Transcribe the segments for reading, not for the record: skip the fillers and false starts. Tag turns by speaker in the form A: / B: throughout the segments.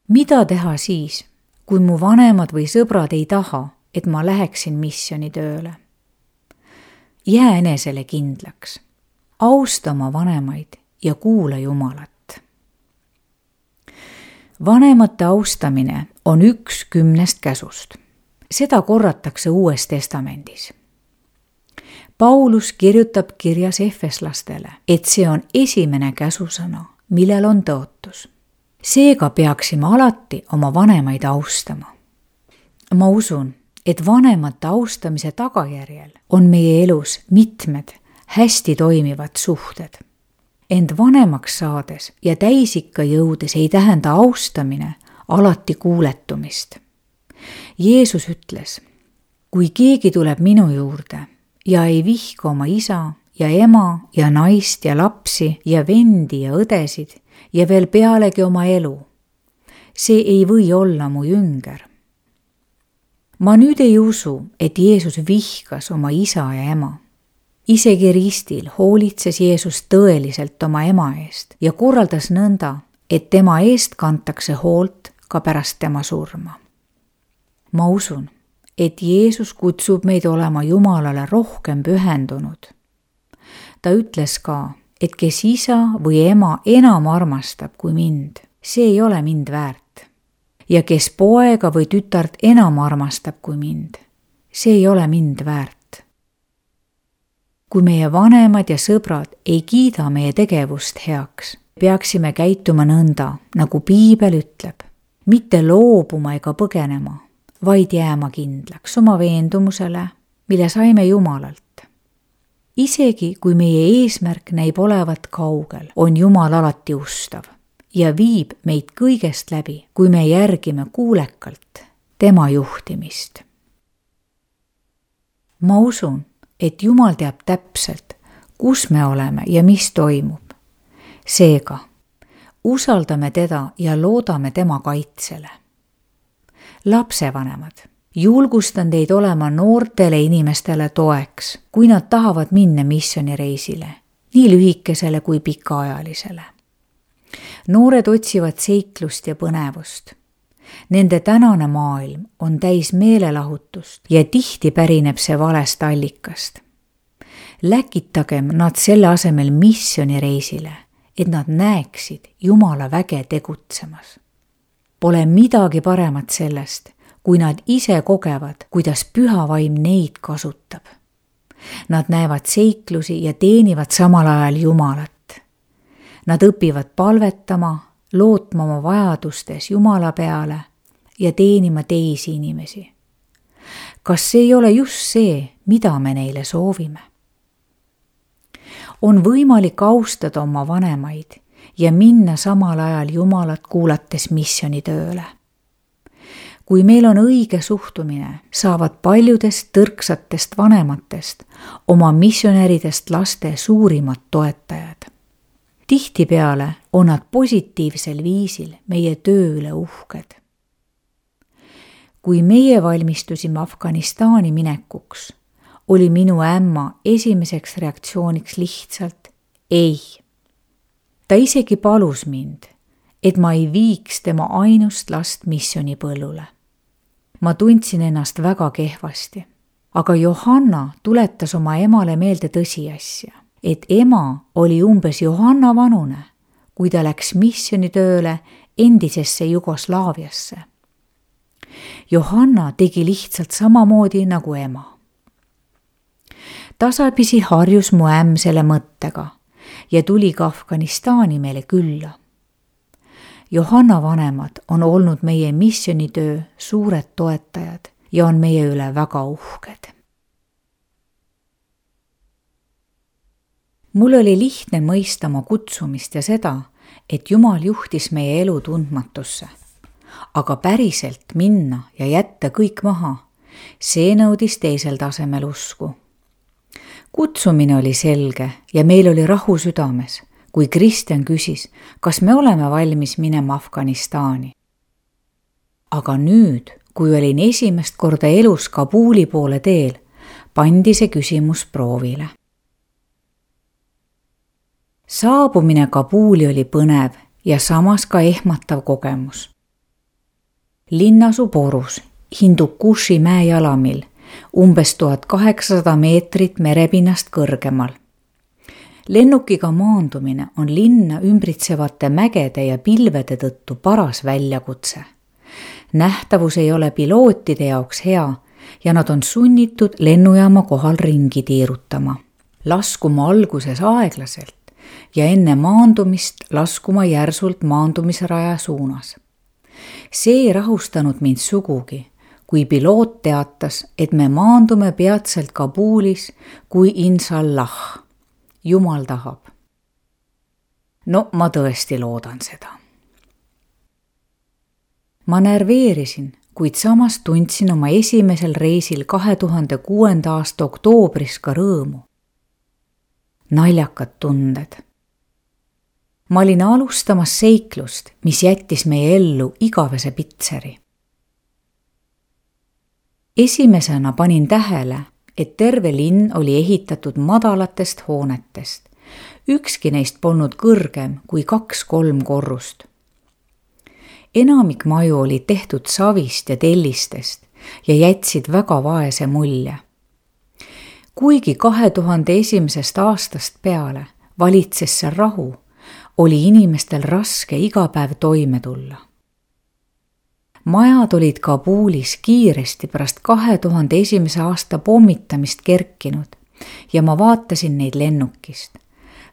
A: Mida teha siis, kui mu vanemad või sõbrad ei taha, et ma läheksin missioonitööle? Jää enesele kindlaks, austa oma vanemaid ja kuula Jumalat. Vanemate austamine on 1 10 käsust. Seda korratakse Uues Testamendis. Paulus kirjutab kirjas efeslastele, et see on esimene käsusõna, millel on tõotus. Seega peaksime alati oma vanemaid austama. Ma usun, et vanemate austamise tagajärjel on meie elus mitmed hästi toimivad suhted. Ent vanemaks saades ja täisikka jõudes ei tähenda austamine alati kuuletumist. Jeesus ütles, kui keegi tuleb minu juurde ja ei vihka oma isa ja ema ja naist ja lapsi ja vendi ja õdesid ja veel pealegi oma elu, see ei või olla mu jünger. Ma nüüd ei usu, et Jeesus vihkas oma isa ja ema. Isegi ristil hoolitses Jeesus tõeliselt oma ema eest ja korraldas nõnda, et tema eest kantakse hoolt ka pärast tema surma. Ma usun, et Jeesus kutsub meid olema Jumalale rohkem pühendunud. Ta ütles ka, et kes isa või ema enam armastab kui mind, see ei ole mind väärt. Ja kes poega või tütart enam armastab kui mind, see ei ole mind väärt. Kui meie vanemad ja sõbrad ei kiida meie tegevust heaks, peaksime käituma nõnda, nagu Piibel ütleb, mitte loobuma ega põgenema, vaid jääma kindlaks oma veendumusele, mille saime Jumalalt. Isegi kui meie eesmärk näib olevat kaugel, on Jumal alati ustav ja viib meid kõigest läbi, kui me järgime kuulekalt tema juhtimist. Ma usun, et Jumal teab täpselt, kus me oleme ja mis toimub. Seega, usaldame teda ja loodame tema kaitsele. Lapsevanemad, julgustan teid olema noortele inimestele toeks, kui nad tahavad minna missioonireisile, nii lühikesele kui pikaajalisele. Noored otsivad seiklust ja põnevust. Nende tänane maailm on täis meelelahutust ja tihti pärineb see valest allikast. Läkitagem nad selle asemel missioonireisile, et nad näeksid Jumala väge tegutsemas. Pole midagi paremat sellest, kui nad ise kogevad, kuidas püha vaim neid kasutab. Nad näevad seiklusi ja teenivad samal ajal Jumalat. Nad õpivad palvetama, lootma oma vajadustes Jumala peale ja teenima teisi inimesi. Kas see ei ole just see, mida me neile soovime? On võimalik austada oma vanemaid ja minna samal ajal Jumalat kuulates missioonitööle. Kui meil on õige suhtumine, saavad paljudest tõrksatest vanematest oma missionäridest laste suurimad toetajad. Tihtipeale on nad positiivsel viisil meie töö üle uhked. Kui meie valmistusime Afganistani minekuks, oli minu ämma esimeseks reaktsiooniks lihtsalt ei. Ta isegi palus mind, et ma ei viiks tema ainust last missionipõllule. Ma tundsin ennast väga kehvasti, aga Johanna tuletas oma emale meelde tõsiasja, et ema oli umbes Johanna vanune, kui ta läks missioonitööle endisesse Jugoslaaviasse. Johanna tegi lihtsalt samamoodi nagu ema. Tasapisi harjus mu ämm selle mõttega ja tuli ka Afganistani meile külla. Johanna vanemad on olnud meie missioonitöö suured toetajad ja on meie üle väga uhked. Mul oli lihtne mõista oma kutsumist ja seda, et Jumal juhtis meie elu tundmatusse. Aga päriselt minna ja jätta kõik maha, see nõudis teisel tasemel usku. Kutsumine oli selge ja meil oli rahu südames, kui Kristjan küsis, kas me oleme valmis minema Afganistani. Aga nüüd, kui olin esimest korda elus Kabuli poole teel, pandi see küsimus proovile. Saabumine Kabuli oli põnev ja samas ka ehmatav kogemus. Linn asub Orus, Hindukushi mäejalamil, umbes 1800 meetrit merepinnast kõrgemal. Lennukiga maandumine on linna ümbritsevate mägede ja pilvede tõttu paras väljakutse. Nähtavus ei ole pilootide jaoks hea ja nad on sunnitud lennujaama kohal ringi tiirutama. Laskuma alguses aeglaselt ja enne maandumist laskuma järsult maandumisraja suunas. See ei rahustanud mind sugugi, kui piloot teatas, et me maandume peatselt Kabulis, kui inshallah. Jumal tahab. No ma tõesti loodan seda. Ma närveerisin, kuid samas tundsin oma esimesel reisil 2006. aasta oktoobris ka rõõmu. Naljakad tunded. Ma olin alustamas seiklust, mis jättis meie ellu igavese pitseri. Esimesena panin tähele, et terve linn oli ehitatud madalatest hoonetest. Ükski neist polnud kõrgem kui 2-3 korrust. Enamik maju oli tehtud savist ja tellistest ja jätsid väga vaese mulje. Kuigi 2001. aastast peale valitses seal rahu, oli inimestel raske iga päev toime tulla. Majad olid Kabulis kiiresti pärast 2001. aasta pommitamist kerkinud ja ma vaatasin neid lennukist.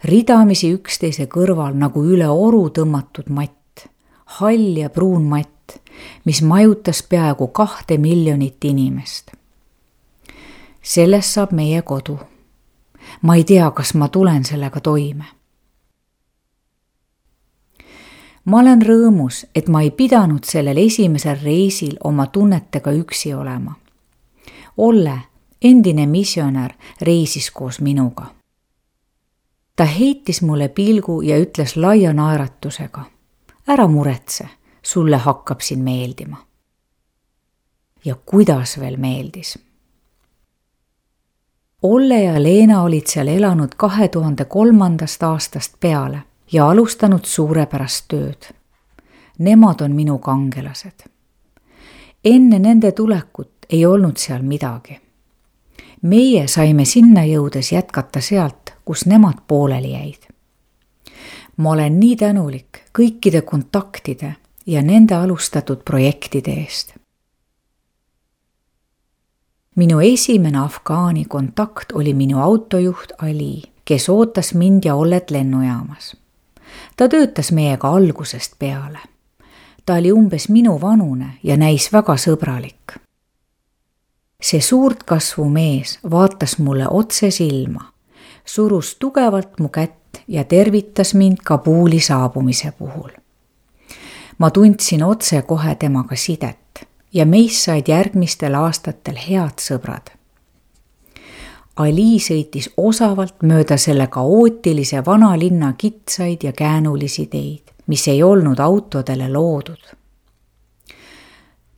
A: Ridamisi üksteise kõrval nagu üle oru tõmmatud matt, hall ja pruun matt, mis majutas peaaegu 2 miljonit inimest. Sellest saab meie kodu. Ma ei tea, kas ma tulen sellega toime. Ma olen rõõmus, et ma ei pidanud sellel esimesel reisil oma tunnetega üksi olema. Olle, endine missionär, reisis koos minuga. Ta heitis mulle pilgu ja ütles laia naeratusega: ära muretse, sulle hakkab siin meeldima. Ja kuidas veel meeldis. Olle ja Leena olid seal elanud 2003. aastast peale ja alustanud suurepärast tööd. Nemad on minu kangelased. Enne nende tulekut ei olnud seal midagi. Meie saime sinna jõudes jätkata sealt, kus nemad pooleli jäid. Ma olen nii tänulik kõikide kontaktide ja nende alustatud projektide eest. Minu esimene Afgaani kontakt oli minu autojuht Ali, kes ootas mind ja Ollet lennujaamas. Ta töötas meiega algusest peale. Ta oli umbes minu vanune ja näis väga sõbralik. See suurt kasvu mees vaatas mulle otse silma, surus tugevalt mu kätt ja tervitas mind Kabuli saabumise puhul. Ma tundsin otse kohe temaga sidet ja meist said järgmistel aastatel head sõbrad. Ali sõitis osavalt mööda selle kaootilise vanalinna kitsaid ja käänulisi teid, mis ei olnud autodele loodud.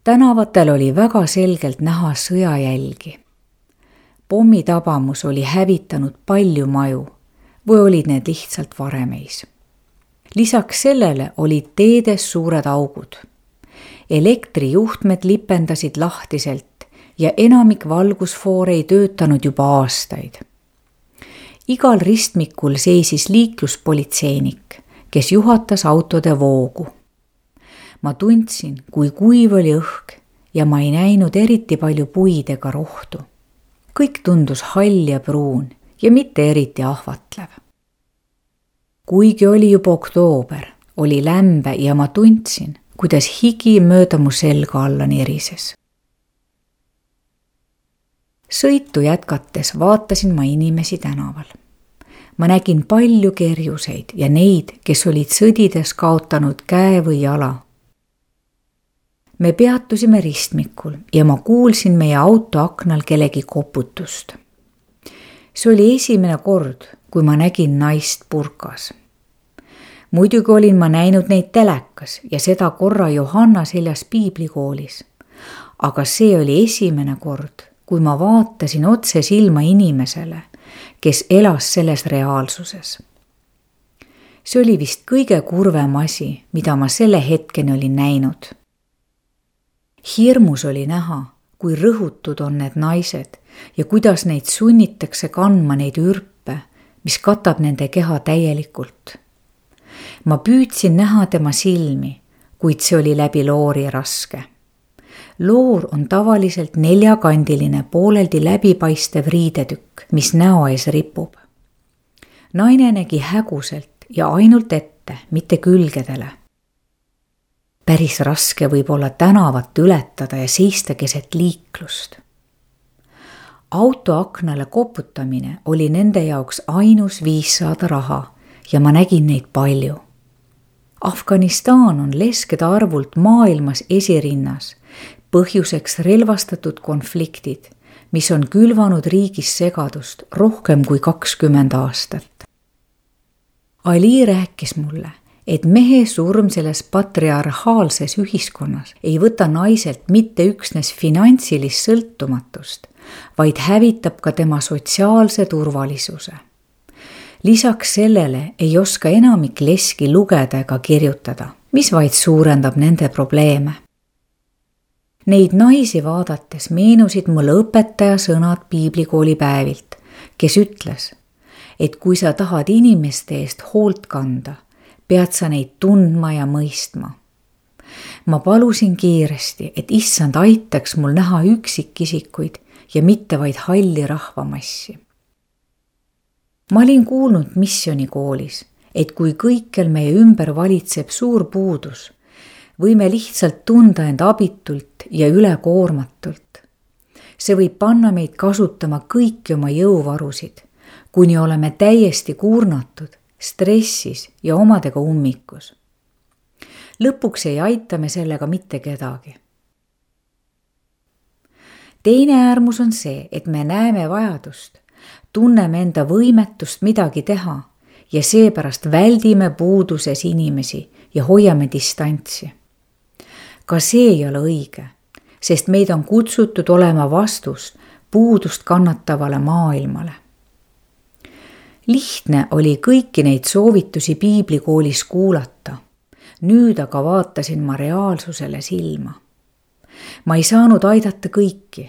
A: Tänavatel oli väga selgelt näha sõjajälgi. Pommitabamus oli hävitanud palju maju või olid need lihtsalt varemeis. Lisaks sellele olid teedes suured augud. Elektrijuhtmed lipendasid lahtiselt ja enamik valgusfoore ei töötanud juba aastaid. Igal ristmikul seisis liikluspolitseinik, kes juhatas autode voogu. Ma tundsin, kui kuiv oli õhk ja ma ei näinud eriti palju puid ega rohtu. Kõik tundus hall ja pruun ja mitte eriti ahvatlev. Kuigi oli juba oktoober, oli lämbe ja ma tundsin, kuidas higi mööda mu selga alla nirises. Sõitu jätkates vaatasin ma inimesi tänaval. Ma nägin palju kerjuseid ja neid, kes olid sõdides kaotanud käe või jala. Me peatusime ristmikul ja ma kuulsin meie auto aknal kellegi koputust. See oli esimene kord, kui ma nägin naist purkas. Muidugi olin ma näinud neid telekas ja seda korra Johanna seljas piiblikoolis. Aga see oli esimene kord, kui ma vaatasin otse silma inimesele, kes elas selles reaalsuses. See oli vist kõige kurvem asi, mida ma selle hetkeni olin näinud. Hirmus oli näha, kui rõhutud on need naised ja kuidas neid sunnitakse kandma neid ürpe, mis katab nende keha täielikult. Ma püüdsin näha tema silmi, kuid see oli läbi loori raske. Loor on tavaliselt neljakandiline, pooleldi läbipaistev riidetükk, mis näo ees ripub. Naine nägi häguselt ja ainult ette, mitte külgedele. Päris raske võib olla tänavat ületada ja seista keset liiklust. Auto aknale koputamine oli nende jaoks ainus viis saada raha ja ma nägin neid palju. Afganistan on leskede arvult maailmas esirinnas, põhjuseks relvastatud konfliktid, mis on külvanud riigis segadust rohkem kui 20 aastat. Ali rääkis mulle, et mehe surm selles patriarhaalses ühiskonnas ei võta naiselt mitte üksnes finantsilist sõltumatust, vaid hävitab ka tema sotsiaalse turvalisuse. Lisaks sellele ei oska enamik leski lugeda ega kirjutada, mis vaid suurendab nende probleeme. Neid naisi vaadates meenusid mulle õpetaja sõnad piiblikooli päevilt, kes ütles, et kui sa tahad inimeste eest hoolt kanda, pead sa neid tundma ja mõistma. Ma palusin kiiresti, et issand aitaks mul näha üksikisikuid ja mitte vaid halli rahvamassi. Ma olin kuulnud missionikoolis, et kui kõikjal meie ümber valitseb suur puudus, võime lihtsalt tunda end abitult ja ülekoormatult. See võib panna meid kasutama kõiki oma jõuvarusid, kuni oleme täiesti kurnatud, stressis ja omadega ummikus. Lõpuks ei aita me sellega mitte kedagi. Teine äärmus on see, et me näeme vajadust, tunneme enda võimetust midagi teha ja seepärast väldime puuduses inimesi ja hoiame distantsi. Ka see ei ole õige, sest meid on kutsutud olema vastus puudust kannatavale maailmale. Lihtne oli kõiki neid soovitusi piiblikoolis kuulata. Nüüd aga vaatasin ma reaalsusele silma. Ma ei saanud aidata kõiki,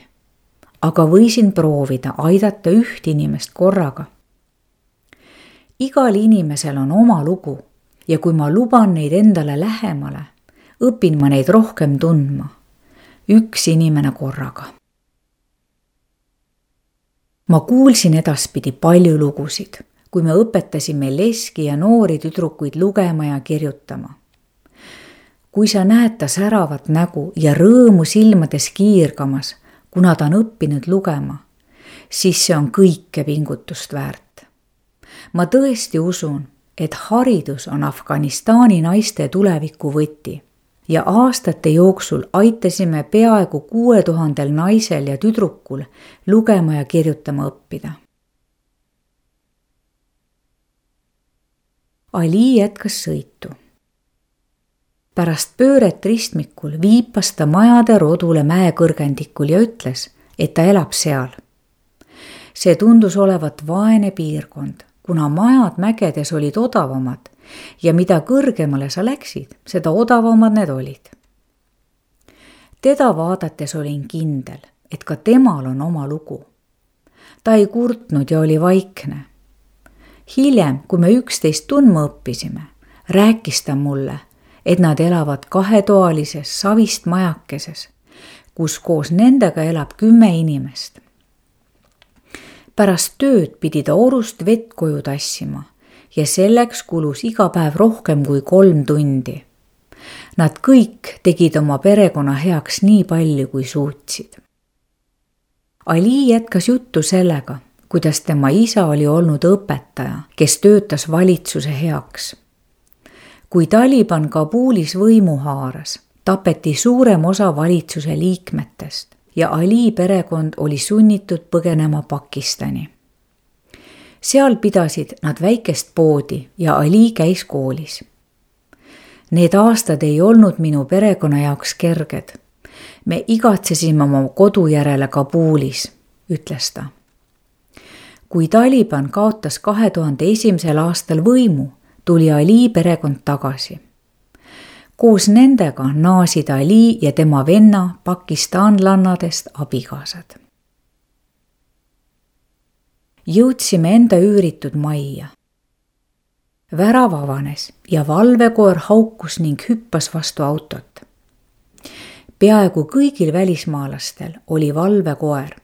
A: aga võisin proovida aidata üht inimest korraga. Igal inimesel on oma lugu ja kui ma luban neid endale lähemale, õpin ma neid rohkem tundma. Üks inimene korraga. Ma kuulsin edaspidi palju lugusid, kui me õpetasime leski ja noori tüdrukuid lugema ja kirjutama. Kui sa näed ta säravat nägu ja rõõmu silmades kiirgamas, kuna ta on õppinud lugema, siis see on kõike pingutust väärt. Ma tõesti usun, et haridus on Afganistani naiste tuleviku võti ja aastate jooksul aitasime peaaegu 6000 naisel ja tüdrukul lugema ja kirjutama õppida. Ali jätkas sõitu. Pärast pööret ristmikul viipas ta majade rodule mäekõrgendikul ja ütles, et ta elab seal. See tundus olevat vaene piirkond, kuna majad mägedes olid odavamad ja mida kõrgemale sa läksid, seda odavamad need olid. Teda vaadates olin kindel, et ka temal on oma lugu. Ta ei kurtnud ja oli vaikne. Hiljem, kui me üksteist tundma õppisime, rääkis ta mulle, et nad elavad 2-toalises savist majakeses, kus koos nendega elab 10 inimest. Pärast tööd pidi ta orust vett koju tassima ja selleks kulus iga päev rohkem kui 3 tundi. Nad kõik tegid oma perekonna heaks nii palju, kui suutsid. Ali jätkas juttu sellega, kuidas tema isa oli olnud õpetaja, kes töötas valitsuse heaks. Kui Taliban Kabulis võimu haaras, tapeti suurem osa valitsuse liikmetest ja Ali perekond oli sunnitud põgenema Pakistani. Seal pidasid nad väikest poodi ja Ali käis koolis. Need aastad ei olnud minu perekonna jaoks kerged. Me igatsesime oma kodu järele Kabulis, ütles ta. Kui Taliban kaotas 2001. aastal võimu, tuli Ali perekond tagasi. Koos nendega naasid Ali ja tema venna pakistanlannadest abikaasad. Jõudsime enda üüritud majja. Värav avanes ja valvekoer haukus ning hüppas vastu autot. Peaaegu kõigil välismaalastel oli valvekoer.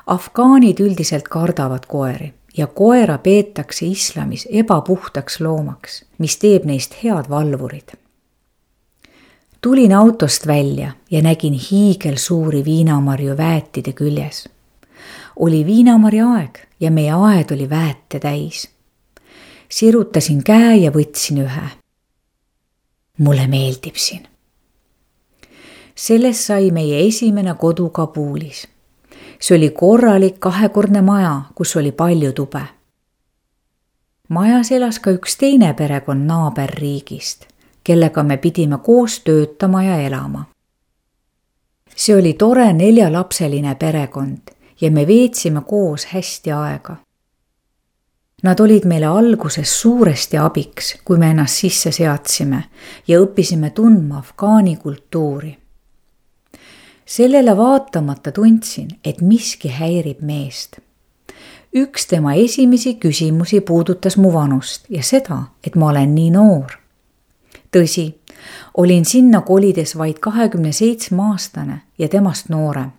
A: Afgaanid üldiselt kardavad koeri ja koera peetakse islamis ebapuhtaks loomaks, mis teeb neist head valvurid. Tulin autost välja ja nägin hiigelsuuri viinamarju väetide küljes. Oli viinamarja aeg ja meie aed oli väete täis. Sirutasin käe ja võtsin ühe. Mulle meeldib siin. Sellest sai meie esimene kodu Kabulis. See oli korralik 2-kordne maja, kus oli palju tube. Majas elas ka üks teine perekond naaberriigist, kellega me pidime koos töötama ja elama. See oli tore 4-lapseline perekond ja me veetsime koos hästi aega. Nad olid meile alguses suuresti abiks, kui me ennast sisse seadsime ja õppisime tundma afgaani kultuuri. Sellele vaatamata tundsin, et miski häirib meest. Üks tema esimesi küsimusi puudutas mu vanust ja seda, et ma olen nii noor. Tõsi, olin sinna kolides vaid 27-aastane ja temast noorem.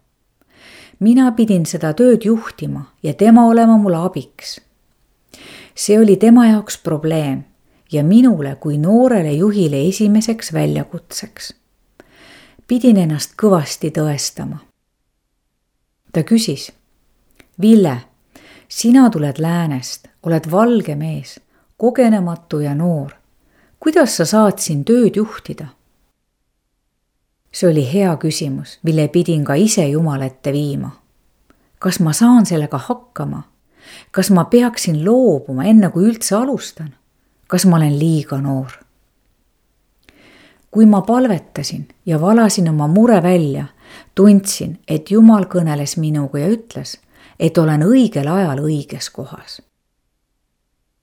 A: Mina pidin seda tööd juhtima ja tema olema mulle abiks. See oli tema jaoks probleem ja minule kui noorele juhile esimeseks väljakutseks. Pidin ennast kõvasti tõestama. Ta küsis, Ville, sina tuled läänest, oled valge mees, kogenematu ja noor. Kuidas sa saad siin tööd juhtida? See oli hea küsimus, mille pidin ka ise Jumala ette viima. Kas ma saan sellega hakkama? Kas ma peaksin loobuma enne kui üldse alustan? Kas ma olen liiga noor? Kui ma palvetasin ja valasin oma mure välja, tundsin, et Jumal kõneles minuga ja ütles, et olen õigel ajal õiges kohas.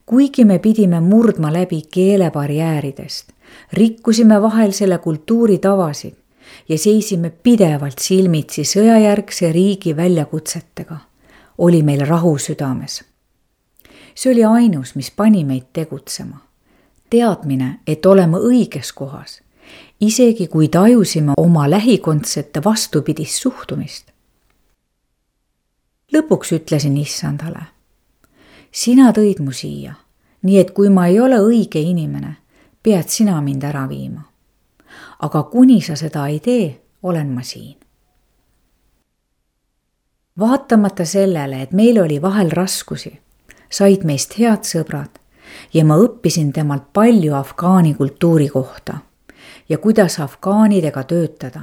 A: Kuigi me pidime murdma läbi keelebarjääridest, rikkusime vahel selle kultuuri tavasid ja seisime pidevalt silmitsi sõjajärgse riigi väljakutsetega, oli meil rahu südames. See oli ainus, mis pani meid tegutsema. Teadmine, et oleme õiges kohas, isegi kui tajusime oma lähikondsete vastupidist suhtumist. Lõpuks ütlesin Issandale, sina tõid mu siia, nii et kui ma ei ole õige inimene, pead sina mind ära viima. Aga kuni sa seda ei tee, olen ma siin. Vaatamata sellele, et meil oli vahel raskusi, said meist head sõbrad ja ma õppisin temalt palju afgaani kultuuri kohta ja kuidas afgaanidega töötada.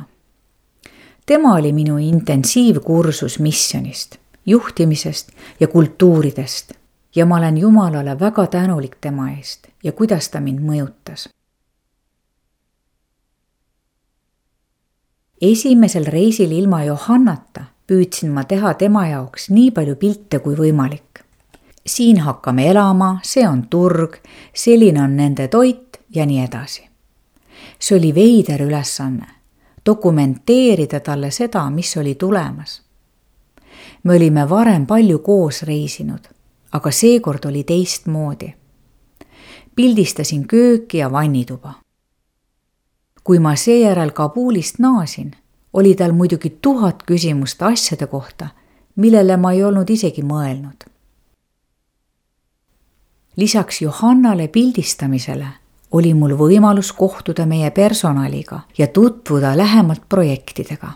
A: Tema oli minu intensiivkursus missionist, juhtimisest ja kultuuridest ja ma olen Jumalale väga tänulik tema eest ja kuidas ta mind mõjutas. Esimesel reisil ilma Johannata püüdsin ma teha tema jaoks nii palju pilte kui võimalik. Siin hakkame elama, see on turg, selline on nende toit ja nii edasi. See oli veider ülesanne, dokumenteerida talle seda, mis oli tulemas. Me olime varem palju koos reisinud, aga seekord oli teistmoodi. Pildistasin kööki ja vannituba. Kui ma seejärel Kabulist naasin, oli tal muidugi 1000 küsimust asjade kohta, millele ma ei olnud isegi mõelnud. Lisaks Johannale pildistamisele oli mul võimalus kohtuda meie personaliga ja tutvuda lähemalt projektidega.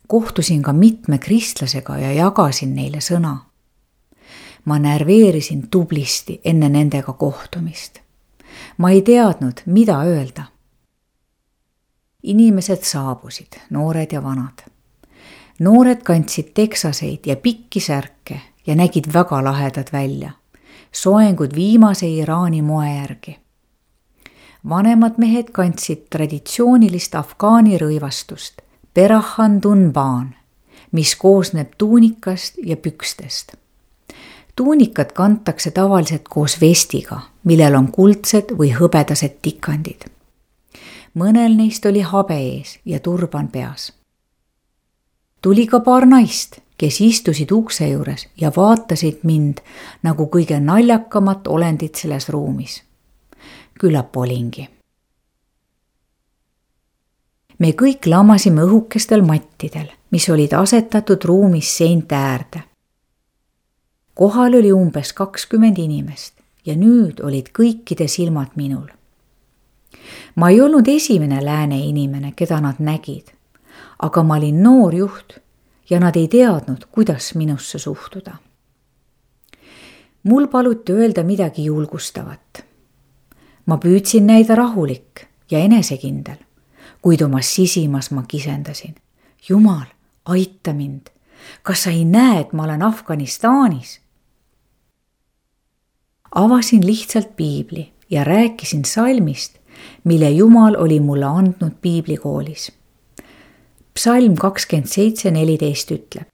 A: Kohtusin ka mitme kristlasega ja jagasin neile sõna. Ma närveerisin tublisti enne nendega kohtumist. Ma ei teadnud, mida öelda. Inimesed saabusid, noored ja vanad. Noored kandsid teksaseid ja pikki särke ja nägid väga lahedad välja. Soengud viimase Iraani moe järgi. Vanemad mehed kandsid traditsioonilist afgaani rõivastust, Perahan Dunban, mis koosneb tuunikast ja pükstest. Tuunikat kantakse tavaliselt koos vestiga, millel on kuldsed või hõbedased tikandid. mõnel neist oli habe ees ja turban peas. Tuli ka paar naist, kes istusid ukse juures ja vaatasid mind nagu kõige naljakamat olendit selles ruumis. Küllap olingi. Me kõik lamasime õhukestel mattidel, mis olid asetatud ruumis seinte äärde. Kohal oli umbes 20 inimest ja nüüd olid kõikide silmad minul. Ma ei olnud esimene lääne inimene, keda nad nägid, aga ma olin noor juht ja nad ei teadnud, kuidas minusse suhtuda. Mul paluti öelda midagi julgustavat. Ma püüdsin näida rahulik ja enesekindel, kuid oma sisimas ma kisendasin. Jumal, aita mind. Kas sa ei näe, et ma olen Afganistanis? Avasin lihtsalt piibli ja rääkisin salmist, mille Jumal oli mulle andnud piiblikoolis. Psalm 27:14 ütleb: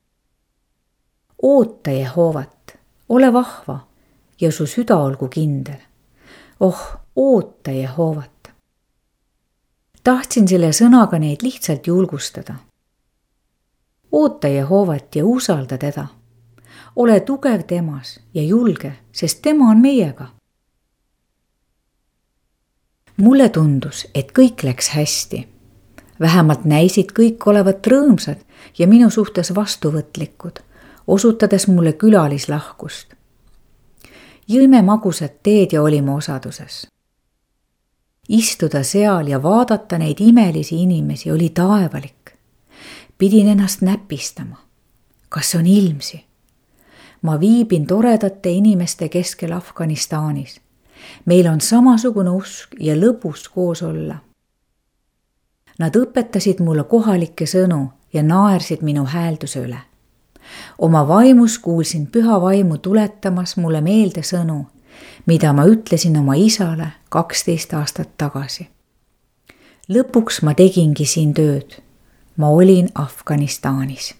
A: Oota Jehoovat, ole vahva ja su süda olgu kindel. Oota Jehoovat. Tahtsin selle sõnaga neid lihtsalt julgustada. Oota Jehoovat ja usalda teda. Ole tugev temas ja julge, sest tema on meiega. Mulle tundus, et kõik läks hästi. Vähemalt näisid kõik olevat rõõmsad ja minu suhtes vastuvõtlikud, osutades mulle külalislahkust. Jõime magusat teed ja olime osaduses. Istuda seal ja vaadata neid imelisi inimesi oli taevalik. Pidin ennast näpistama. Kas on ilmsi? Ma viibin toredate inimeste keskel Afganistanis. Meil on samasugune usk ja lõbus koos olla. Nad õpetasid mulle kohalikke sõnu ja naersid minu häälduse üle. Oma vaimus kuulsin püha vaimu tuletamas mulle meelde sõnu, mida ma ütlesin oma isale 12 aastat tagasi. Lõpuks ma tegingi siin tööd. Ma olin Afganistanis.